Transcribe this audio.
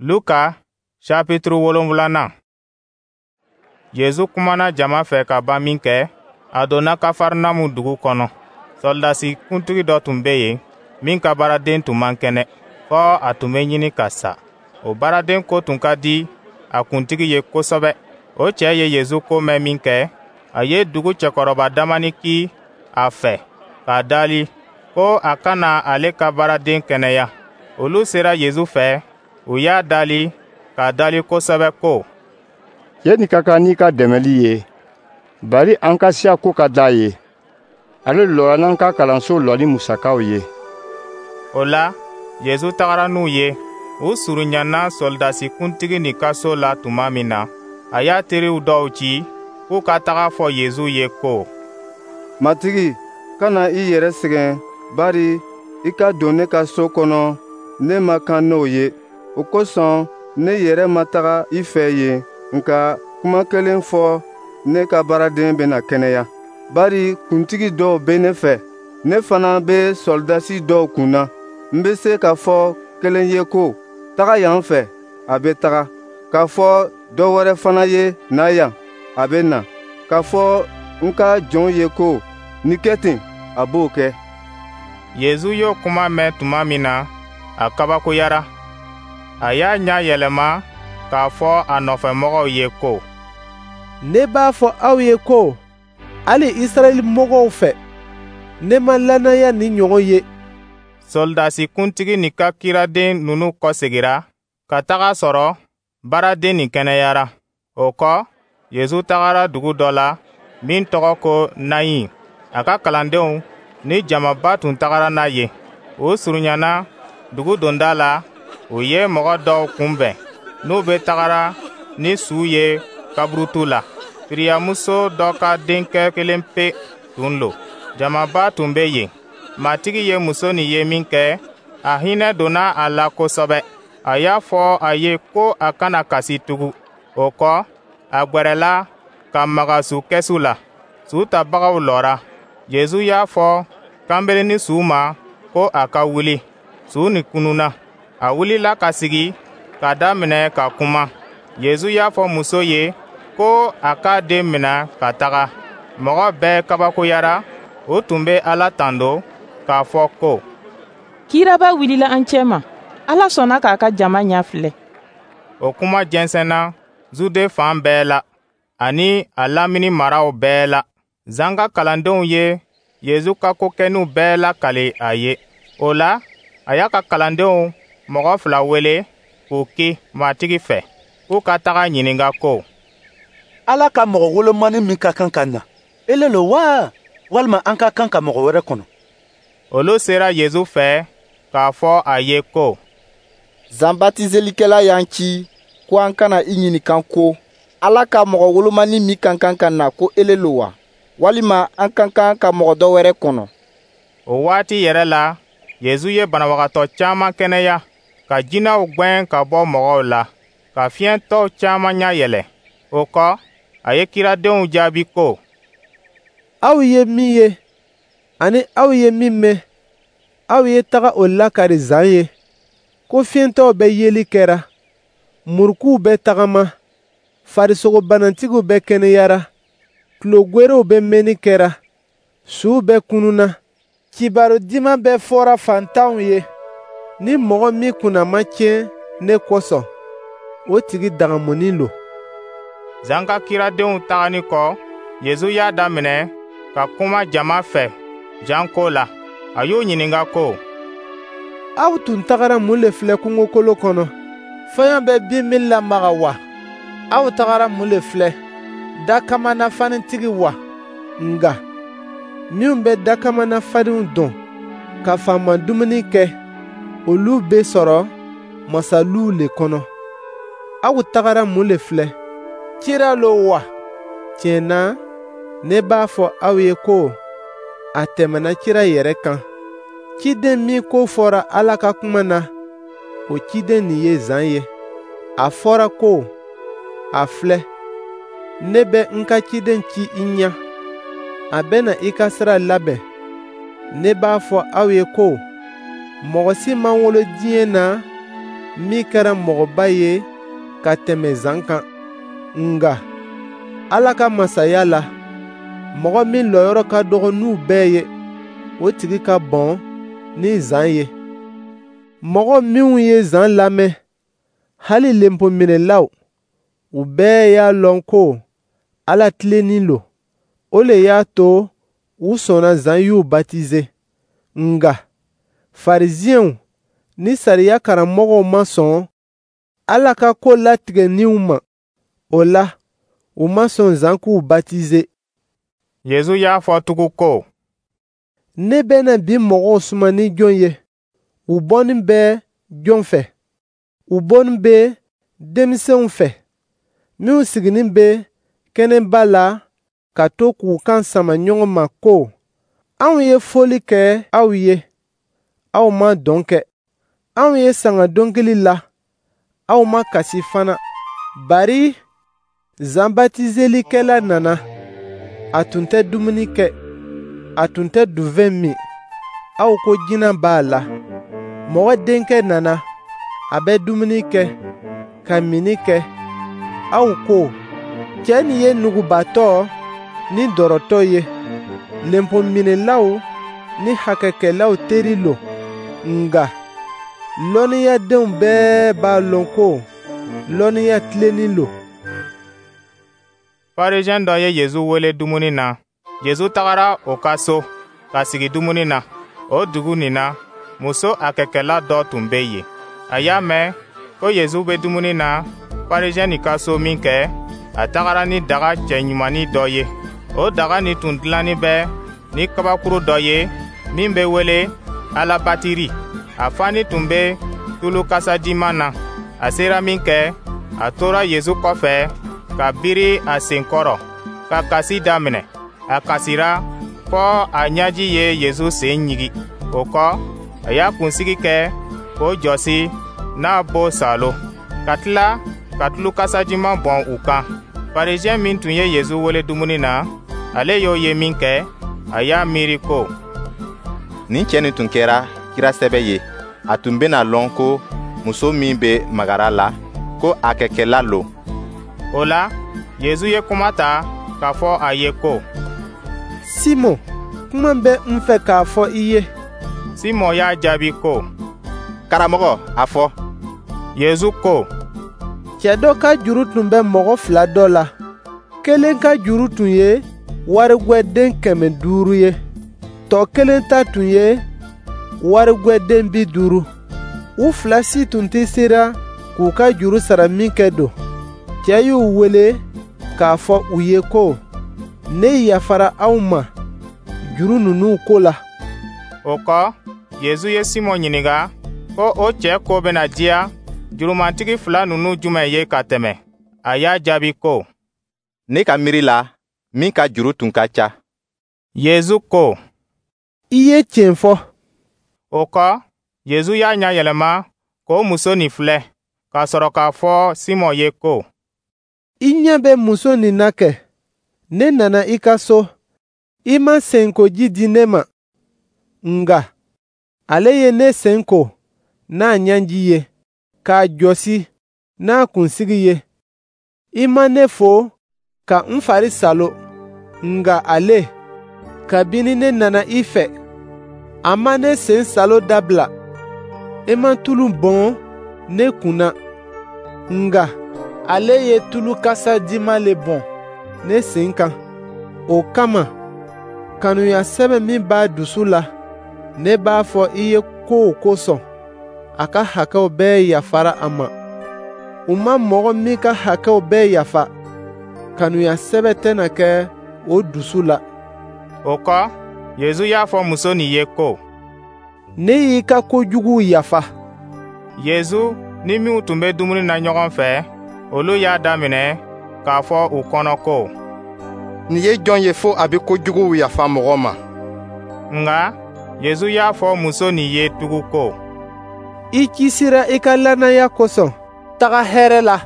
Luka chapitre 7nan. Yezu kumana jama fɛ ka ban minkɛ, a donna Kafarnamu dugu kɔnɔ. Sɔrɔdasi kuntigi dɔ tun bɛ yen min ka baaraden tun man kɛnɛ, fɔ a tun bɛ ɲini ka sa. O baaraden ko tun ka di a kuntigi ye kosɛbɛ. O cɛ ye Yezu ko mɛn minkɛ, a ye dugu cɛkɔrɔba damani ci a fɛ k'a dali ko a ka na ale ka baaraden kɛnɛya. Olu sera Yezu fɛ, u y'a dali k'a dali kosɛbɛ ko: Cɛ nin ka kan n'i ka dɛmɛli ye, bari an ka siya ko ka d'a ye. Ale lɔra n'an ka kalanso lɔli musakaw ye. O la, Yezu tagara n'u ye. U surunyana sɔrɔdasi kuntigi nin ka so la tuma min na, a y'a teriw dɔw ci k'u ka taga fɔ Yezu ye ko: Matigi, kana i yɛrɛ sɛgɛn, bari i ka don ne ka so kɔnɔ, ne man kan n'o ye. O kosɔn ne yɛrɛ ma taga i fɛ yen, nka kuma kelen fɔ, ne ka baaraden bɛna kɛnɛya. Bari kuntigi dɔw bɛ ne fɛ, ne fana bɛ sɔrɔdasi dɔw kun na. N bɛ se k'a fɔ kelen ye ko: Taga yan fɛ, a bɛ taga. K'a fɔ dɔ wɛrɛ fana ye: Na yan, a bɛ na. K'a fɔ n ka jɔn ye ko: Nin kɛ ten, a b'o kɛ. Yezu y'o kuma mɛn tuma min na, a kabakoyara. A y'a ɲɛ yɛlɛma k'a fɔ a nɔfɛmɔgɔw ye ko: Ne b'a fɔ aw ye ko hali Israɛl mɔgɔw fɛ, ne ma lannaya nin ɲɔgɔn ye. Sɔrɔdasi kuntigi nin ka kiraden ninnu kɔsegira ka taga sɔrɔ baaraden nin kɛnɛyara. O kɔ, Yezu tagara dugu dɔ la min tɔgɔ ko Nayin. A ka kalandenw ni jamaba tun tagara n'a ye. U surunyana dugu donda la, u ye mɔgɔ dɔw kunbɛn n'u bɛ tagara ni su ye kaburutu la. Firiyamuso dɔ ka denkɛ kelen pe tun lo. Jamaba tun bɛ yen. Matigi ye muso nin ye minkɛ, a hinɛ donna a la kosɛbɛ. A y'a fɔ a ye ko a kana kasi tugun. O kɔ, a gwɛrɛla ka maga su kɛsu la. Su tabagaw lɔra. Yezu y'a fɔ kanberennin su ma ko a ka wuli. Su nin kununna. A wulila ka sigi k'a daminɛ ka kuma. Yezu y'a fɔ muso ye ko a k'a den mina ka taga. Mɔgɔ bɛɛ kabakoyara, u tun bɛ Ala tando k'a fɔ ko: Kiraba wulila an cɛma. Ala sɔnna k'a ka jama ɲɛ filɛ. O kuma jɛnsɛnna Zude fan bɛɛ la, ani a lamini maraw bɛɛ la. Zan ka kalandenw ye Yezu ka ko kɛninw bɛɛ lakali a ye. O la, a y'a ka kalandenw mɔgɔ fila wele k'u ci Matigi fɛ, k'u ka taga ɲininka ko: Ala ka mɔgɔ wolomani min ka kan ka na, ele lo wa, walima an ka kan ka mɔgɔ wɛrɛ kɔnɔ? Olu sera Yezu fɛ k'a fɔ a ye ko: Zan batiselikɛla y'an ci ko an ka na i ɲininka ko: Ala ka mɔgɔ wolomani min ka kan ka na, ko ele lo wa, walima an ka kan ka mɔgɔ dɔ wɛrɛ kɔnɔ? O waati yɛrɛ la, Yezu ye banabagatɔ caman kɛnɛya, ka jinɛw gwɛn ka bɔ mɔgɔw la, ka fiyɛntɔw caman ɲɛ yɛlɛ. O kɔ, a ye kiradenw jaabi ko: Aw ye min ye ani aw ye min mɛn, aw ye taga o lakari Zan ye, ko fiyɛntɔw bɛ yeli kɛra, murukuw bɛ tagama, farisogobanatigiw bɛ kɛnɛyara, tulogwerew bɛ mɛnni kɛra, suw bɛ kununna, kibaru diman bɛ fɔra fantanw ye. Ni mɔgɔ min kunna ma tiɲɛ ne kosɔn, o tigi dagamunin lo. Zan ka kiradenw taganin kɔ, Yezu y'a daminɛ ka kuma jama fɛ Jan ko la. A y'u ɲininka ko: Aw tun tagara mun le filɛ kungokolo kɔnɔ? Fɔɲɔ bɛ bin min lamaga wa? Aw tagara mun le filɛ? Dakamana fanitigi wa? Nka minnu bɛ dakamana faniw dɔn ka faama dumuni kɛ, olu bɛ sɔrɔ masaluw le kɔnɔ. Aw tagara mun le filɛ? Kira lo wa? Tiɲɛ na, ne b'a fɔ aw ye ko a tɛmɛna kira yɛrɛ kan. Ciden min ko fɔra Ala ka kuma na, o ciden nin ye Zan ye. A fɔra ko: A filɛ, ne bɛ n ka ciden ci i ɲɛ, a bɛna i ka sira labɛn. Ne b'a fɔ aw ye ko mɔgɔ si ma wolo diɲɛ na min kɛra mɔgɔba ye ka tɛmɛ Zan kan. Nka Ala ka masaya la, mɔgɔ min lɔyɔrɔ ka dɔgɔ n'u bɛɛ ye, o tigi ka bon ni Zan ye. Mɔgɔ minnu ye Zan lamɛn, hali lenpominɛlaw, u bɛɛ y'a lɔn ko Ala tilennin lo. O le y'a to u sɔnna Zan y'u batize. Nka Farisiɛnw ni sariya karamɔgɔw ma sɔn Ala ka ko latigɛninw ma. O la, u ma sɔn Zan k'u batize. Yezu y'a fɔ tugun ko: Ne bɛna bi mɔgɔw suma ni jɔn ye? U bɔnin bɛ jɔn fɛ? U bɔnin bɛ denmisɛnw fɛ, minnu siginin bɛ kɛnɛba la ka to k'u kan sama ɲɔgɔn ma ko: Anw ye fɔli kɛ aw ye, aw ma dɔn kɛ. Anw ye sanga dɔnkili la, aw ma kasi fana. Bari Zan batizelikɛla nana, a tun tɛ dumuni kɛ, a tun tɛ duvɛn min, aw ko jinɛ b'a la. Mɔgɔ Denkɛ nana, a bɛ dumuni kɛ, ka minni kɛ, aw ko: Cɛ nin ye nugubatɔ ni dɔrɔtɔ ye, lenpominɛlaw ni hakɛkɛlaw teri lo. Nka lɔnniyadenw bɛɛ b'a lɔn ko lɔnniya tilennin lo. Farisɛn dɔ ye Yezu wele dumuni na. Yezu tagara o ka so ka sigi dumuni na. O dugu nin na, muso hakɛkɛla dɔ tun bɛ yen. A y'a mɛn ko Yezu bɛ dumuni na Farisɛn nin ka so min kɛ, a tagara ni daga cɛɲumannin dɔ ye. O daga nin tun dilannin bɛ ni kabakuru dɔ ye min bɛ wele alabatiri. A fani tun bɛ tulu kasadiman na. A sera min kɛ, a tora Yezu kɔfɛ ka biri a sen kɔrɔ, ka kasi daminɛ. A kasira fɔ a ɲɛji ye Yezu sen ɲigi. O kɔ, a y'a kunsigi kɛ k'o jɔsi n'a bo salo, ka tila ka tulu kasajiman bɔn u kan. Farisɛn min tun ye Yezu wele dumuni na, ale y'o ye min kɛ, a y'a miiri ko: Nin cɛ nin tun kɛra kira sɛbɛ ye, a tun bɛna lɔn ko muso min bɛ magara la, ko a kɛkɛla lo. O la, Yezu ye kuma ta k'a fɔ a ye ko: Simɔn, kuma bɛ n fɛ k'a fɔ i ye. Simɔn y'a jaabi ko: Karamɔgɔ, a fɔ. Yezu ko: Cɛ dɔ ka juru tun bɛ mɔgɔ fila dɔ la. Kelen ka juru tun ye warigwɛden 500 ye. Tɔ kelen ta tun ye warigwɛden 50. U fila si tun tɛ sera k'u ka juru sara min kɛ don. Cɛ y'u wele k'a fɔ u ye ko: Ne yafara aw ma juru ninnu ko la. O kɔ, Yezu ye Simɔn ɲininka ko o cɛ ko bɛna diya jurumantigi fila ninnu jumɛn ye ka tɛmɛ. A y'a jaabi ko: Ne ka miiri la, min ka juru tun ka ca. Yezu ko: I ye tiɲɛ fɔ. O kɔ, Yezu y'a ɲɛ yɛlɛma k'o muso nin filɛ, k'a sɔrɔ k'a fɔ Simɔn ye ko: I ɲɛ bɛ muso nin na kɛ? Ne nana i ka so, i ma senkoji di ne ma. Nka ale ye ne sen ko n'a ɲɛji ye, k'a jɔsi n'a kunsigi ye. I ma ne fo ka n fari salo, nka ale, kabini ne nana i fɛ, a ma ne sen salo dabila. I ma tulu bɔn ne kun na, nka ale ye tulu kasadiman le bɔn ne sen kan. O kama, kanuya sɛbɛ min b'a dusu la, ne b'a fɔ i ye k'o kosɔn, a ka hakɛw bɛɛ yafara a ma. U ma mɔgɔ min ka hakɛw bɛɛ yafa, kanuya sɛbɛ tɛna kɛ o dusu la. O kɔ, Yezu y'a fɔ muso nin ye ko: Ne y'i ka kojuguw yafa. Yezu ni minnu tun bɛ dumuni na ɲɔgɔn fɛ, olu y'a daminɛ k'a fɔ u kɔnɔ ko: Nin ye jɔn ye fo a bɛ kojuguw yafa mɔgɔ ma? Nka Yezu y'a fɔ muso nin ye tugun ko: I kisira i ka lannaya kosɔn, taga hɛrɛ la.